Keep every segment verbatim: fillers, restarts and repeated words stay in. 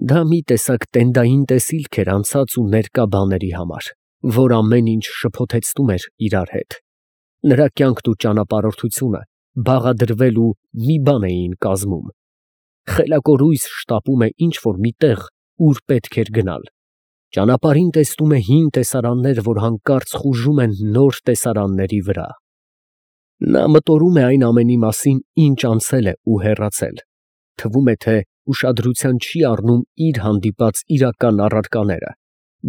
Դա մի տեսակ տենդային տեսիլք էր անցած ու ներկա բաների համար, որ ամեն ինչ շփոթեցնում էր իրար հետ. նրա կյանքն ու ճանապարհորդությունը բաղադրվել ու մի բան էին կազմում. խելակորույս շտապում է ինչ֊որ մի տեղ, ուր պետք էր գնալ, ճանապարհին տեսնում է հին տեսարաններ, որ հանկարծ խուժում են նոր տեսարանների վրա։ Նա մտորում է այն ամենի մասին, ինչ անցել է ու հեռացել, թվում է, թե ուշադրության չի առնում իր հանդիպած իրական առարկաները,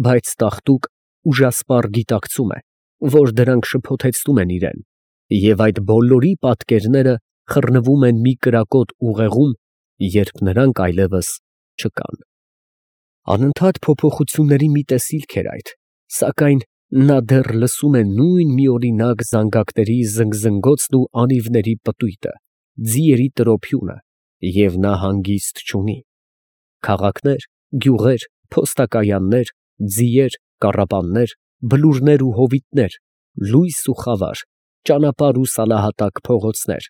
բայց տաղտուկ ուժասպառ գիտակցում է, որ դրանք շփոթեցնում են իրան, և այդ բոլորի պատկերները խռնվում են մի կրակոտ ուղեղում, երբ նրանք այլևս չկան։ Անընդհատ փոփոխությունների մի տեսիլք էր այդ, սակայն նա դեռ լսում է նույն միօրինակ զանգակների զնգզնգոցն ու անիվների պտույտը, ձիերի տրոփյունը, և նա հանգիստ չունի։ Քաղաքներ, գյուղեր, փոստակայաններ, ձիեր, կառապաններ, բլուրներ ու հովիտներ, լույս ու խավար, ճանապարհ ու սալահատակ փողոցներ,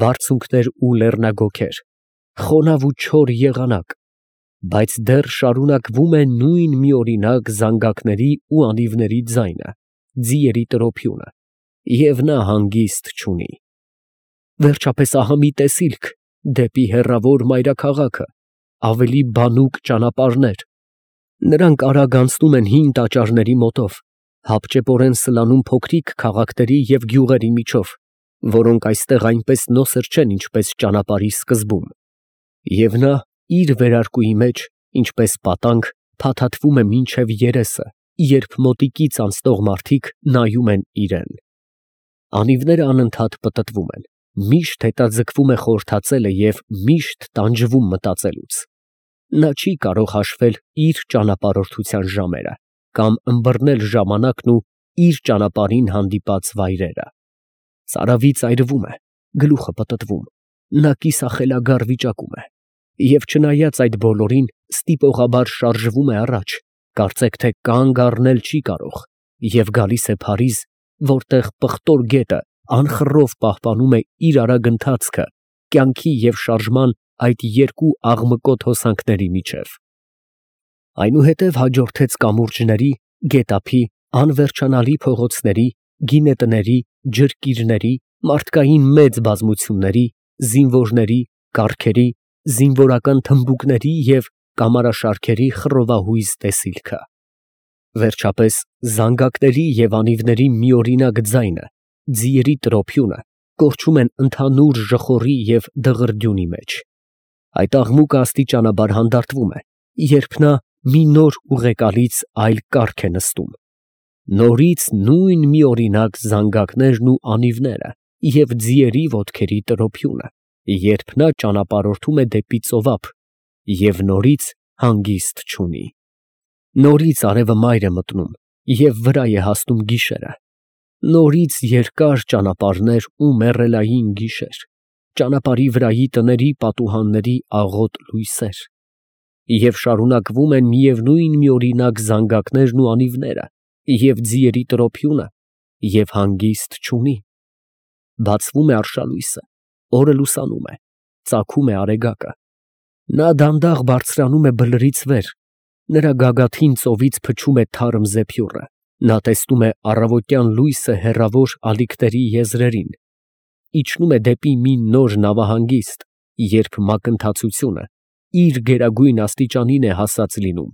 բարձունքներ ու լեռնագոգեր, խոնավ ու չոր եղանակ, բայց դեռ շարունակվում է նույն միօրինակ զանգակների ու անիվների ձայնը, ձիերի տրոփյունը, և նա հանգիստ չունի։ Վերջապես ահա մի տեսիլք դեպի հեռավոր մայրաքաղաքը, ավելի բանուկ ճանապարհներ. նրանք արագ անցնում են հին տաճարների մոտով, հապճեպորեն սլանում փոքրիկ քաղաքների և գյուղերի միջով, որոնք այստեղ այնպես նոսր չեն, ինչպես ճանապարհի սկզբում, և նա իր վերարկուի մեջ, ինչպես պատանկ, փաթաթվում է մինչև երեսը, երբ մոտիկից անցնող մարդիկ նայում են իրան։ Անիվները անընդհատ պտտվում են, միշտ հետաձգվում է խորհրդածելը և միշտ տանջվում մտածելուց։ Նա չի կարող հաշվել իր ճանապարհորդության ժամերը կամ ըմբռնել ժամանակն ու իր ճանապարհին հանդիպած վայրերը։ Ծարավից այրվում է, գլուխը պտտվում, նա կիսախելագար վիճակում է, և չնայած այդ բոլորին, ստիպողաբար շարժվում է առաջ, կարծեք թե կանգ առնել չի կարող, և գալիս է Փարիզ, որտեղ պղտոր գետը անխռով պահպանում է իր արագ ընթացքը կյանքի և շարժման այդ երկու աղմկոտ հոսանքների միջև։ Այնուհետև հաջորդեց կամուրջների, գետափի, անվերջանալի փողոցների, գինետների, ջրկիրների, մարդկային մեծ բազմությունների, զինվորների, կառքերի, զինվորական թմբուկների և կամարաշարքերի խռովահույզ տեսիլքը։ Վերջապես զանգակների և անիվների միօրինակ ձայնը, ձիերի տրոփյունը կորչում են ընդհանուր ժխորի և դղրդյունի մեջ։ Այդ աղմուկը աստիճանաբար հանդարտվում է, երբ նա մի նոր ուղեկալից այլ կառք է նստում։ Նորից նույն միօրինակ զանգակներն ու անիվները և ձիերի ոտքերի տրոփյունը, երբ նա ճանապարհորդում է դեպի ծովափ և նորից հանգիստ չունի։ Նորից արևը մայր է մտնում և վրա է հասնում գիշերը, նորից երկար ճանապարհներ ու մեռելային գիշեր, ճանապարհի վրայի տների պատուհանների աղոտ լույսեր, և շարունակվում են միևնույն միօրինակ զանգակներն ու անիվները և ձիերի տրոփյունը, և հանգիստ չունի։ Բացվում է արշալույսը, օրը լուսանում է, ծագում է արեգակը։ Նա դանդաղ բարձրանում է բլրից վեր, նրա գագաթին ծովից փչում է թարմ զեփյուռը, նա տեսնում է առավոտյան լույսը հեռավոր ալիքների եզրերին, իջնում է դեպի մի նոր նավահանգիստ, երբ մակընթացությունը իր գերագույն աստիճանին է հասած լինում։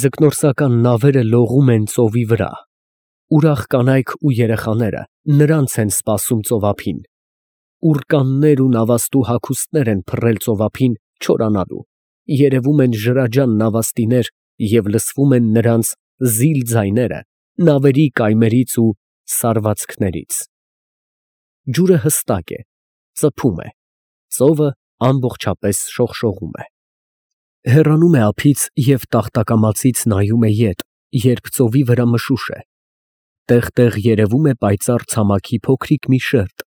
Ձկնորսական նավերը լողում են ծովի վրա, ուրախ կանայք ու երեխաները նրանց են սպասում ծովափին, ուռկաններ ու նավաստու հագուստներ են փռել ծովափին չորանալու, երևում են ջրաջան նավաստիներ և լսվում են նրանց զիլ ձայները նավերի կայմերից ու սարվածքներից։ Ջուրը հստակ է, ծփում է, ծովը ամբողջապես շողշողում է։ Հեռանում է ափից և տախտակամածից նայում է ետ, երբ ծովի վրա մշուշ է։ Տեղ֊տեղ երևում է պայծառ ցամաքի փոքրիկ մի շերտ,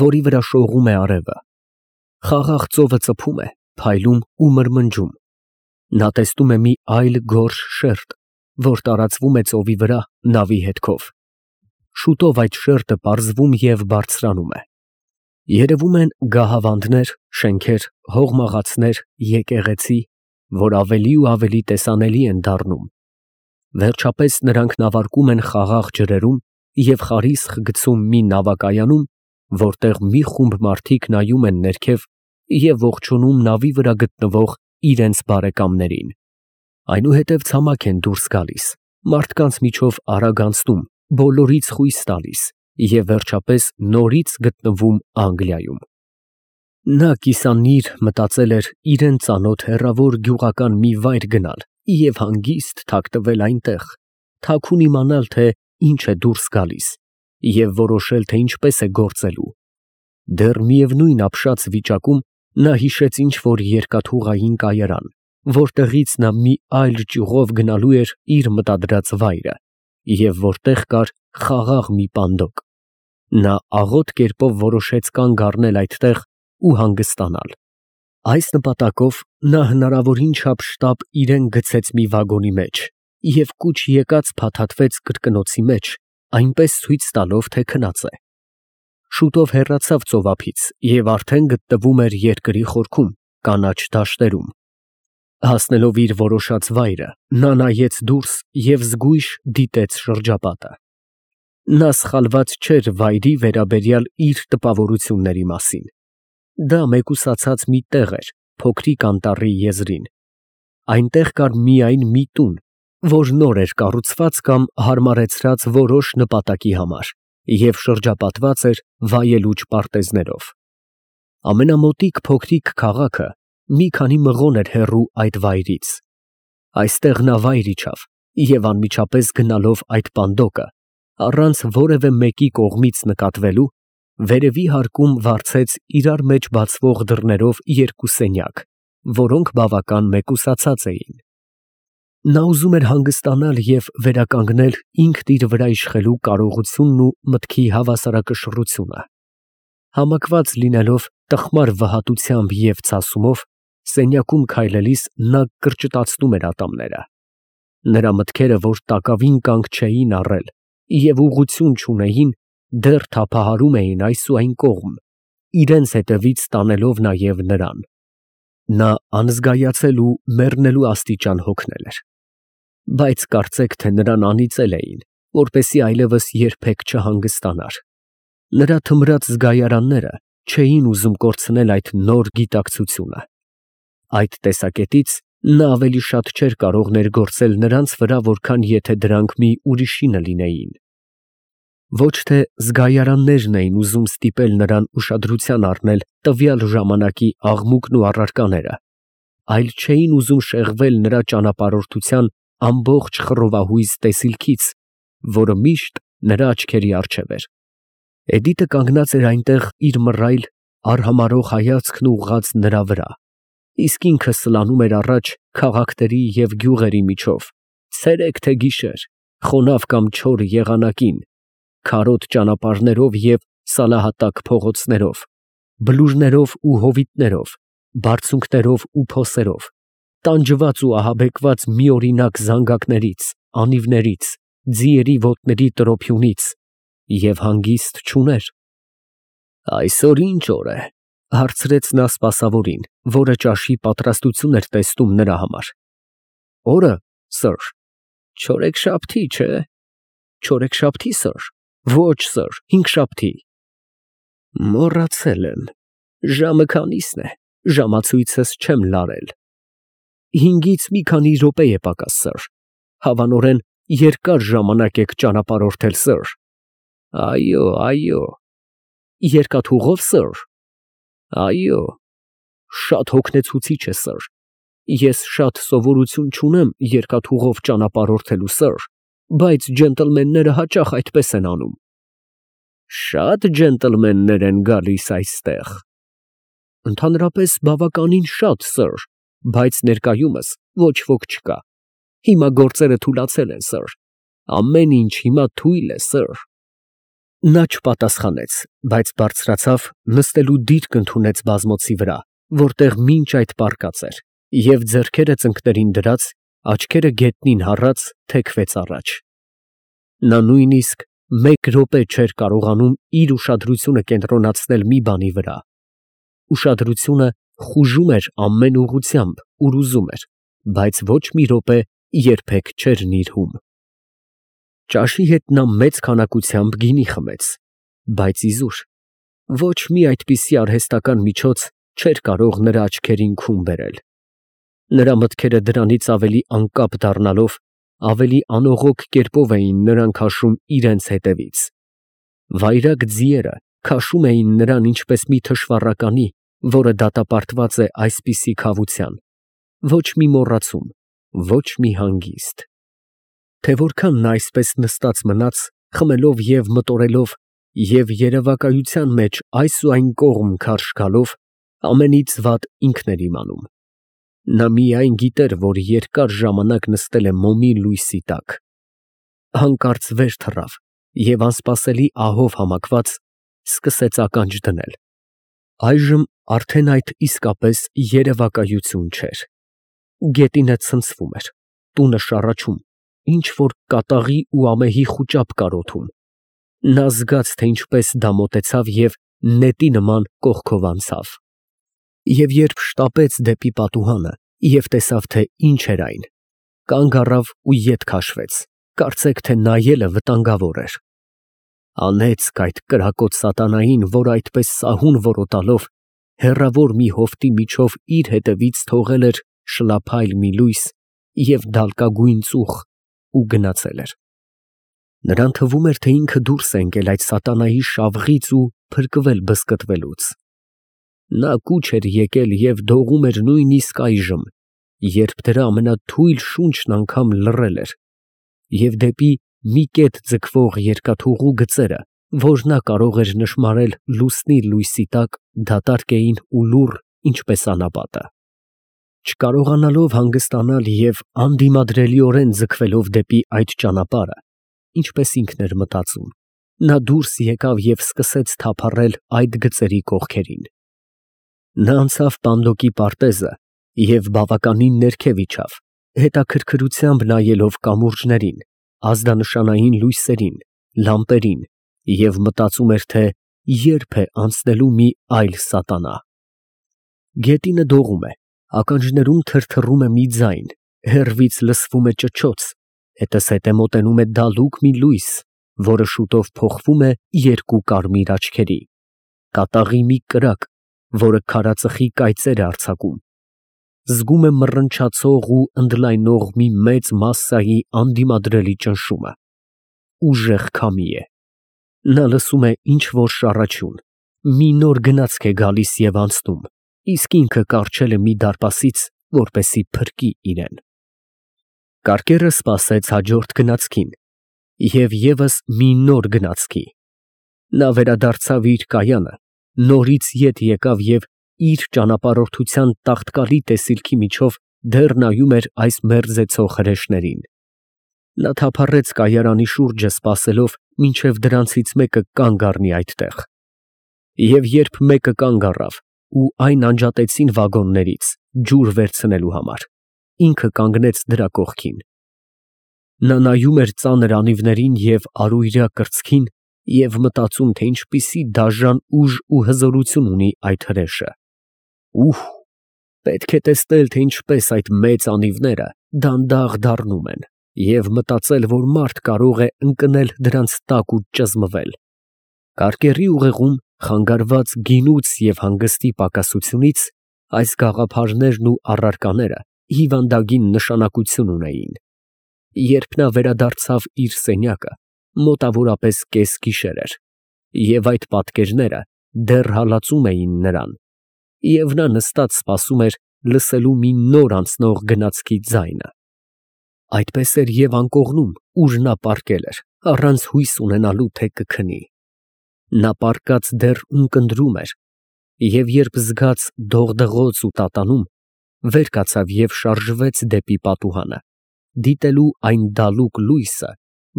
որի վրա շողում է արևը։ Խաղաղ ծովը ծփում է, փայլում ու մրմնջում։ Նա տեսնում է մի այլ գորշ շերտ, որ տարածվում է ծովի վրա նավի հետքով։ Շուտով այդ շերտը պարզվում և բարձրանում է։ Երևում են գահավանդներ, շենքեր, հողմաղացներ, եկեղեցի, որ ավելի ու ավելի տեսանելի են դառնում։ Վերջապես նրանք նավարկում են խաղաղ ջրերում և խարիսխ գցում մի նավակայանում, որտեղ մի խումբ մարդիկ նայում են ներքև և ողջունում նավի վրա գտնվող իրենց բարեկամներին։ Այնուհետև ցամաք են դուրս գալիս, մարդկանց միջով արագ անցնում, բոլորից խույս տալիս և վերջապես նորից գտնվում Անգլիայում։ Նա կիսանիր մտածել էր իրան ծանոթ հեռավոր գյուղական մի վայր գնալ և հանգիստ թաքնվել այնտեղ, թաքուն իմանալ, թե ինչ է դուրս գալիս, և որոշել, թե ինչպես է գործելու։ Դեռ միևնույն ապշած վիճակում նա հիշեց ինչ֊որ երկաթուղային կայարան, որտեղից նա մի այլ ճյուղով գնալու էր իր մտադրած վայրը, և որտեղ կար խաղաղ մի պանդոկ։ Նա աղոտ կերպով որոշեց կանգ առնել այդտեղ ու հանգստանալ։ Այս նպատակով նա հնարավորին չափ շտապ իրան գցեց մի վագոնի մեջ և կուչ եկած փաթաթվեց կրկնոցի մեջ, այնպես ցույց տալով, թե քնած է։ Շուտով հեռացավ ծովափից և արդեն գտնվում էր երկրի խորքում, կանաչ դաշտերում։ Հասնելով իր որոշած վայրը, նա նայեց դուրս և զգույշ դիտեց շրջապատը։ Նա սխալված չէր վայրի վերաբերյալ իր տպավորությունների մասին։ Դա մեկուսացած մի տեղ էր փոքրիկ անտառի եզրին։ Այնտեղ կար միայն մի տուն, որ նոր էր կառուցված կամ հարմարեցրած որոշ նպատակի համար և շրջապատված էր վայելուչ պարտեզներով։ Ամենամոտիկ փոքրիկ քաղաքը մի քանի մղոն էր հեռու այդ վայրից։ Այստեղ նա վայր իջավ և անմիջապես գնալով այդ պանդոկը, առանց որևէ մեկի կողմից նկատվելու, վերևի հարկում վարձեց իրար մեջ բացվող դռներով երկու սենյակ, որոնք բավական մեկուսացած էին։ Նա ուզում էր հանգստանալ և վերականգնել ինքն իր վրա իշխելու կարողությունն ու մտքի հավասարակշռությունը։ Համակված լինելով տխմար վհատությամբ և ցասումով, սենյակում քայլելիս նա կրճտացնում էր ատամները։ Նրա մտքերը, որ տակավին կանգ չէին առել և ուղղություն չունեին, դեռ թափահարում էին այս ու այն կողմ, իրենց հետևից տանելով նաև նրան։ Նա անզգայացել ու մեռնելու աստիճան հոգնել էր։ Բայց կարծեք, թե նրան անիծել էին, որպեսզի այլևս երբեք չհանգստանար։ Նրա թմրած զգայարանները չէին ուզում կորցնել այդ նոր գիտակցությունը։ Այդ տեսակետից նա ավելի շատ չէր կարող ներգործել նրանց վրա, որքան եթե դրանք մի ուրիշինը լինեին։ Ոչ թե զգայարաններն էին ուզում ստիպել նրան ուշադրության առնել տվյալ ժամանակի աղմուկն ու առարկաները, այլ չէին ուզում շեղվել նրա ճանապարհորդության ամբողջ խռովահույզ տեսիլքից, որը միշտ նրա աչքերի առջև էր։ Էդիտը կանգնած էր այնտեղ իր մռայլ, արհամարհող հայացքն ուղղած նրա վրա, իսկ ինքը սլանում էր առաջ քաղաքների և գյուղերի միջով, ցերեկ թե գիշեր, խոնավ կամ չոր եղանակին, քարոտ ճանապարհներով և սալահատակ փողոցներով, բլուրներով ու հովիտներով, բարձունքներով ու փոսերով, տանջված ու ահաբեկված միօրինակ զանգակներից, անիվներից, ձիերի ոտների տրոփյունից և հանգիստ չուներ։ «Այսօր ի՞նչ օր է», ֊ հարցրեց նա սպասավորին, որը ճաշի պատրաստություն էր տեսնում նրա համար։ «Օրը, սըր, չորեքշաբթի, չէ՞։ Չորեքշաբթի, սըր։ Ոչ, սըր, հինգշաբթի»։ Մոռացել եմ, ժամը քանի՞սն է, ժամացույցս չեմ լարել։ Հինգից մի քանի րոպե է պակաս, սըր, հավանորեն երկար ժամանակ եք ճանապարհորդել, սըր։ Այո, այո։ Երկաթուղո՞վ, սըր։ Այո։ Շատ հոգնեցուցիչ է, սըր։ Ես շատ սովորություն չունեմ երկաթուղով ճանապարհորդելու, սըր, բայց ջենտլմենները հաճախ այդպես են անում։ Շա՞տ ջենտլմեններ են գալիս այստեղ։ Ընդհանրապես բավականին շատ, սըր, բայց ներկայումս ոչ ոք չկա։ Հիմա գործերը թուլացել են, սըր, ամեն ինչ հիմա թույլ է, սըր։ Նա չպատասխանեց, բայց բարձրացավ, նստելու դիրք ընդունեց բազմոցի վրա, որտեղ մինչ այդ պառկած էր, և ձեռքերը ծնկներին դրած, աչքերը գետնին հառած, թեքվեց առաջ։ Նա նույնիսկ մեկ րոպե չէր կարողանում իր ուշադրությունը կենտրոնացնել մի բանի վրա։ Ուշադրությունը խուժում էր ամեն ուղղությամբ, ուր ուզում էր, բայց ոչ մի րոպե երբեք չէր նիրհում։ Ճաշի հետ նա մեծ քանակությամբ գինի խմեց, բայց իզուր ոչ մի այդպիսի արհեստական միջոց չէր կարող նրա աչքերին քուն բերել։ Նրա մտքերը դրանից ավելի անկապ դառնալով, ավելի անողոք կերպով էին նրան քաշում իրենց հետևից։ Վայրագ ձիերը քաշում էին նրան ինչպես մի թշվառականի, որը դատապարտված է այսպիսի քավության, ոչ մի մոռացում, ոչ մի հանգիստ։ Թե որքան նա այսպես նստած մնաց, խմելով և մտորելով և երևակայության մեջ այս ու այն կողմ քարշ գալով, ամենից վատ ինքն էր իմանում։ Նա միայն գիտեր, որ երկար ժամանակ նստել է մոմի լույսի տակ։ Հանկարծ վեր թռավ և անսպասելի ահով համակված սկսեց ականջ դնել։ Այժմ արդեն այդ իսկապես երևակայություն չէր։ Գետինը ցնցվում էր, տունը շառաչում, ինչ֊որ կատաղի ու ամեհի խուճապ կարոթում։ Նա զգաց, թե ինչպես դա մոտեցավ և նետի նման կողքով անցավ։ Եվ երբ շտապեց դեպի պատուհանը և տեսավ, թե ինչ էր այն, կանգ առավ ու ետ քաշվեց, կարծեք թե նայելը վտանգավոր էր։ Անեծք այդ կրակոտ սատանային, որ այդպես սահուն որոտալով հեռավոր մի հովտի միջով իր հետևից թողել էր շլափայլ մի լույս և դալկագույն ծուխ ու գնացել էր։ Նրան թվում էր, թե ինքը դուրս է ընկել այդ սատանայի շավղից ու փրկվել բզկտվելուց։ Նա կուչ էր եկել և դողում էր նույնիսկ այժմ, երբ դրա ամենաթույլ շունչն անգամ լռել էր, և դեպի մի կետ ձգվող երկաթուղու գծերը, որ նա կարող էր նշմարել լուսնի լույսի տակ, դատարկ էին ու լուռ, ինչպես անապատը։ Չկարողանալով հանգստանալ և անդիմադրելիորեն ձգվելով դեպի այդ ճանապարհը, ինչպես ինքն էր մտածում, նա դուրս եկավ և սկսեց թափառել այդ գծերի կողքերին։ Նա անցավ պանդոկի պարտեզը և բավականին ներքև իջավ, հետաքրքրությամբ նայելով կամուրջներին, ազդանշանային լույսերին, լամպերին և մտածում էր, թե ե՞րբ է անցնելու մի այլ սատանա։ Գետինը դողում է, ականջներում թրթռում է մի ձայն, հեռվից լսվում է ճչոց, հետզհետե մոտենում է դալուկ մի լույս, որը շուտով փոխվում է երկու կարմիր աչքերի, կատաղի մի կրակ, որը քարածխի կայծեր է արձակում, զգում է մռնչացող ու ընդլայնող մի մեծ մասսայի անդիմադրելի ճնշումը, ուժեղ քամի է։ Նա լսում է ինչ֊որ շառաչյուն, մի նոր գնացք է գալիս և անցնում, իսկ ինքը կառչել է մի դարպասից, որպեսզի փրկի իրեն։ Կարկերը սպասեց հաջորդ գնացքին և ևս մի նոր գնացքի։ Նա վերադարձավ իր կայանը, նորից ետ եկավ և իր ճանապարհորդության տաղտկալի տեսիլքի միջով դեռ նայում էր այս մերձեցող հրեշներին։ Նա թափառեց կայարանի շուրջը, սպասելով, մինչև դրանցից մեկը կանգ առնի այդտեղ։ Եվ երբ մեկը կանգ առավ ու այն անջատեցին վագոններից, ջուր վերցնելու համար, ինքը կանգնեց դրա կողքին։ Նա նայում էր ծանր անիվներին և արույրյա կրծքին և մտածում, թե ինչպիսի դաժան ուժ ու հզորություն ունի այդ հրեշը։ Ուհ, պետք է տեսնել, թե ինչպես այդ մեծ անիվները դանդաղ դառնում են, և մտածել, որ մարդ կարող է ընկնել դրանց տակ ու ճզմվել։ Կարկերի ուղեղում, խանգարված գինուց և հանգստի պակասությունից, այս գաղափարներն ու առարկաները հիվանդագին նշանակություն ունեին։ Երբ նա վերադարձավ իր սենյակը, մոտավորապես կեսգիշեր էր, և այդ պատկերները դեռ հալածում էին նրան, և նա նստած սպասում էր լսելու մի նոր անցնող գնացքի ձայնը։ Այդպես էր և անկողնում, ուր նա պառկել էր, առանց հույս ունենալու, թե կքնի։ Նա պառկած դեռ ունկնդրում էր, և երբ զգաց դողդղոց ու տատանում, վեր կացավ և շարժվեց դեպի պատուհանը, դիտելու այն դալուկ լույսը,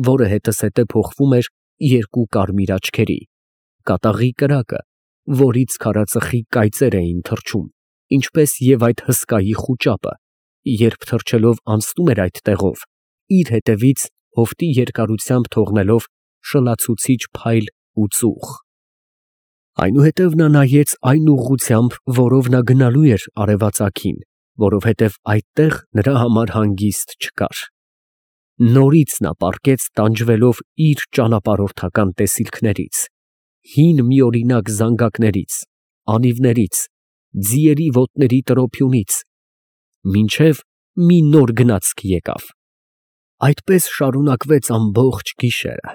որը հետզհետե փոխվում էր երկու կարմիր աչքերի, կատաղի կրակը, որից քարածխի կայծեր էին թռչում, ինչպես և այդ հսկայի խուճապը, երբ թռչելով անցնում էր այդ տեղով, իր հետևից հովտի երկարությամբ թողնելով շլացուցիչ փայլ ու ծուխ։ Այնուհետև նա նայեց այն ուղղությամբ, որով նա գնալու էր արևածագին, որովհետև այդտեղ նրա համար հանգիստ չկար։ Նորից նա պառկեց տանջվելով իր ճանապարհորդական տեսիլքներից, հին միօրինակ զանգակներից, անիվներից, ձիերի ոտների տրոփյունից, մինչև մի նոր գնացք եկավ։ Այդպես շարունակվեց ամբողջ գիշերը։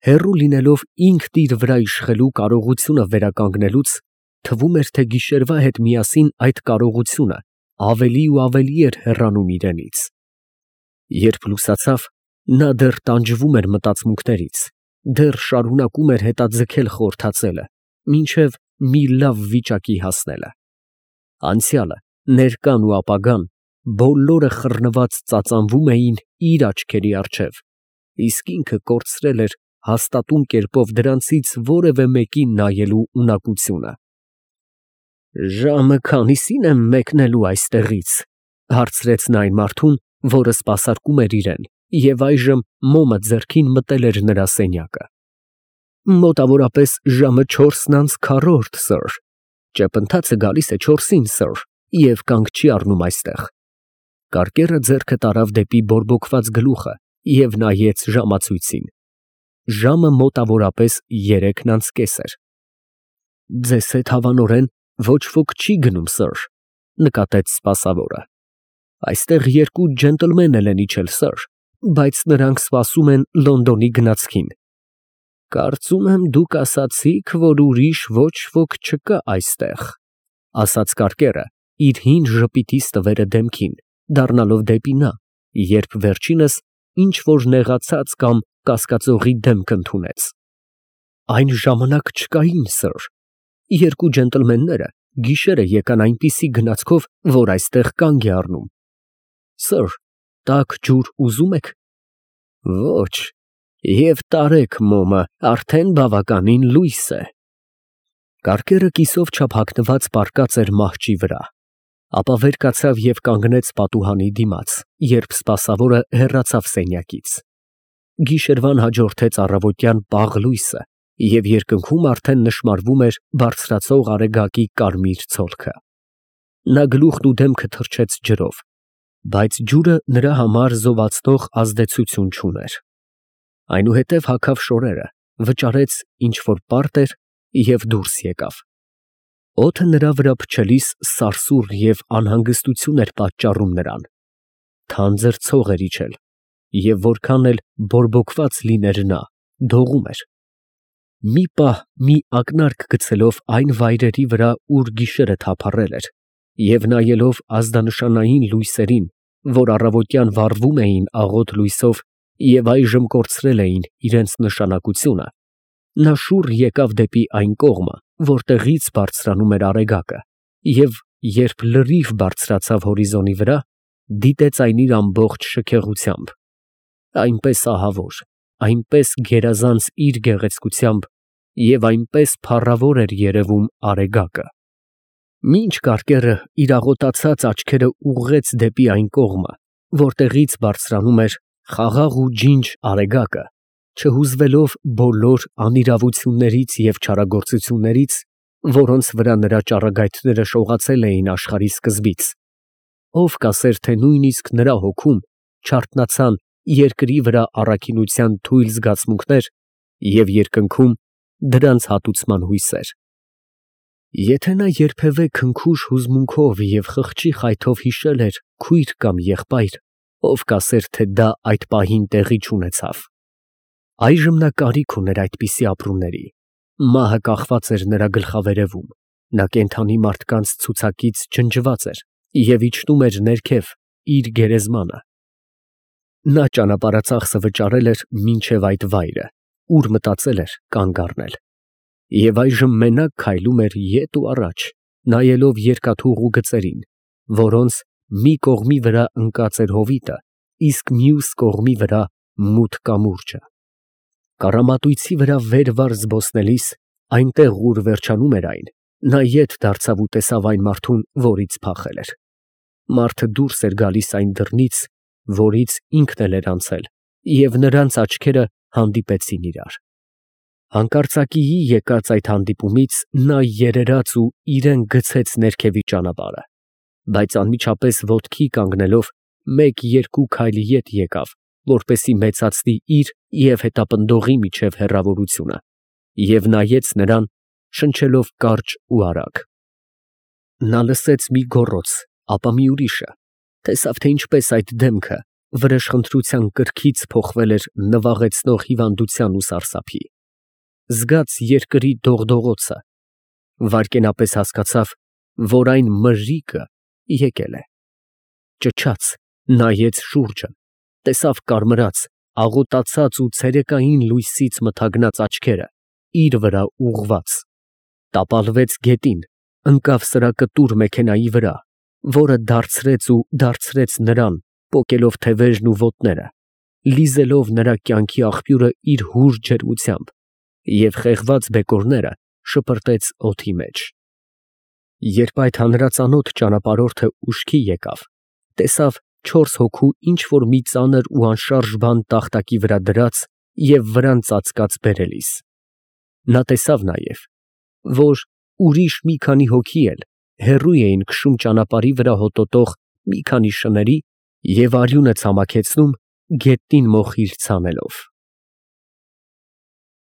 Հեռու լինելով ինքն իր վրա իշխելու կարողությունը վերականգնելուց, թվում էր, թե գիշերվա հետ միասին այդ կարողությունը ավելի ու ավելի էր հեռանում իրենից։ Երբ լուսացավ, նա դեռ տանջվում էր մտածմունքներից, դեռ շարունակում էր հետաձգել խորհրդածելը, մինչև մի լավ վիճակի հասնելը։ Անցյալը, ներկան ու ապագան բոլորը խռնված ծածանվում էին իր աչքերի առջև, իսկ ինքը կորցրել էր հաստատուն կերպով դրանցից որևէ մեկին նայելու ունակությունը։ «Ժամը քանիսին եմ մեկնելու այստեղից», ֊ հարցրեց նա այն մարդուն, որը սպասարկում էր իրան, և այժմ մոմը ձեռքին մտել էր նրա սենյակը։ «Մոտավորապես ժամը չորսն անց քառորդ, սըր, ճեպընթացը գալիս է չորսին, սըր, և կանգ չի առնում այստեղ»։ Կարկերը ձեռքը տարավ դեպի բորբոքված գլուխը և նայեց ժամացույցին։ Ժամը մոտավորապես երեքն անց կես էր։ «Ձեզ հետ հավանորեն ոչ ոք չի գնում, սըր, ֊ նկատեց սպասավորը։ ֊ Այստեղ երկու ջենտլմեն էլ են իջել, սըր, բայց նրանք սպասում են Լոնդոնի գնացքին»։ «Կարծում եմ, դուք ասացիք, որ ուրիշ ոչ ոք չկա այստեղ», ֊ ասաց կարկերը, իր հին ժպիտի ստվերը դեմքին դառնալով դեպի նա, երբ վերջինս ինչ֊որ նեղացած կամ կասկածողի դեմք ընդունեց։ «Այն ժամանակ չկային, սըր, երկու ջենտլմենները գիշերը եկան այնպիսի գնացքով, որ այստեղ կանգ է առնում։ Սըր, տաք ջուր ուզում եք»։ «Ոչ, և տարեք մոմը, արդեն բավականին լույս է»։ Կարկերը կիսով չափ հագնված պառկած էր մահճի վրա, ապա վեր կացավ և կանգնեց պատուհանի դիմաց, երբ սպասավորը հեռացավ սենյակից։ Գիշերվան հաջորդեց առավոտյան պաղ լույսը, և երկնքում արդեն նշմարվում էր բարձրացող արեգակի կարմիր ցոլքը։ Նա գլուխն ու դեմքը թրջեց ջրով, բայց ջուրը նրա համար զովացնող ազդեցություն չուներ։ Այնուհետև հագավ շորերը, վճարեց ինչ֊որ պարտ էր և դուրս եկավ։ Օդը նրա վրա փչելիս սարսուռ և անհանգստություն էր պատճառում նրան։ Թանձր ցող էր իջել, և որքան էլ բորբոքված լիներ նա, դողում էր։ Մի պահ մի ակնարկ գցելով այն վայրերի վրա, ուր գիշերը թափառել էր, և նայելով ազդանշանային լույսերին, որ առավոտյան վառվում էին աղոտ լույսով և այժմ կորցրել էին իրենց նշանակությունը, նա շուռ եկավ դեպի այն կողմը, որտեղից բարձրանում էր արեգակը, և երբ լրիվ բարձրացավ հորիզոնի վրա, դիտեց այն իր ամբողջ շքեղությամբ, այնպես ահավոր, այնպես գերազանց իր գեղեցկությամբ և այնպես փառավոր էր երևում արեգակը։ Մինչ կարկերը իր աղոտացած աչքերը ուղղեց դեպի այն կողմը, որտեղից բարձրանում էր խաղաղ ու ջինջ արեգակը, չհուզվելով բոլոր անիրավություններից և չարագործություններից, որոնց վրա նրա ճառագայթները շողացել էին աշխարհի սկզբից, ով կասեր, թե նույնիսկ նրա հոգում չարթնացան երկրի վրա առաքինության թույլ զգացմունքներ և երկնքում դրանց հատուցման հույսեր։ Եթե նա երբևէ քնքուշ հուզմունքով և խղճի խայթով հիշել էր քույր կամ եղբայր, ով կասեր, թե դա այդ պահին տեղի չունեցավ։ Այժմ նա կարիք ուներ այդպիսի ապրումների։ Մահը կախված էր նրա գլխավերևում, նա կենդանի մարդկանց ցուցակից ջնջված էր և իջնում էր ներքև իր գերեզմանը։ Նա ճանապարհածախսը վճարել էր մինչև այդ վայրը, ուր մտածել էր կանգ առնել, և այժմ մենակ քայլում էր ետ ու առաջ, նայելով երկաթուղու գծերին, որոնց մի կողմի վրա ընկած էր հովիտը, իսկ մյուս կողմի վրա մութ կամուրջը։ Կառամատույցի վրա վեր վար զբոսնելիս, այնտեղ, ուր վերջանում էր այն, նա ետ դարձավ ու տեսավ այն մարդուն, որից փախել էր։ Մարդը դուրս էր գալիս այն դռնից, որից ինքն էլ էր անցել, և նրանց աչքերը հանդիպեցին իրար։ Հանկարծակիի եկած այդ հանդիպումից նա երերաց ու իրան գցեց ներքևի ճանապարհը։ բայց անմիջապես ոտքի կանգնելով մեկ֊երկու քայլի ետ եկավ, որպեսզի մեծացնի իր և հետապնդողի միջև հեռավորությունը, և նայեց նրան, շնչելով կարճ ու արագ։ Նա լսեց մի գոռոց, ապա մի ուրիշը, տեսավ, թե ինչպես այդ դեմքը վրեժխնդրության կրքից փոխվել էր նվաղեցնող հիվանդության ու սարսափի, զգաց երկրի դողդողոցը, վայրկենապես հասկացավ, որ այն մրրիկը եկել է, ճչաց, նայեց շուրջը, տեսավ կարմրած, աղոտացած ու ցերեկային լույսից մթագնած աչքերը իր վրա ուղղված, տապալվեց գետին, ընկավ սրակտուր մեքենայի վրա, որը դարձրեց ու դարձրեց նրան, պոկելով թևերն ու ոտները, լիզելով նրա կյանքի աղբյուրը իր հուր ջերմությամբ, և խեղված բեկորները շպրտեց օդի մեջ։ Երբ այդ հանրածանոթ ճանապարհորդը ուշքի եկավ, տեսավ չորս հոգու ինչ֊որ մի ծանր ու անշարժ բան տախտակի վրա դրած և վրան ծածկած բերելիս, նա տեսավ նաև, որ ուրիշ մի քանի հոգի էլ հեռու էին քշում ճանապարհի վրա հոտոտող մի քանի շների և արյունը ցամաքեցնում գետնին մոխիր ցանելով։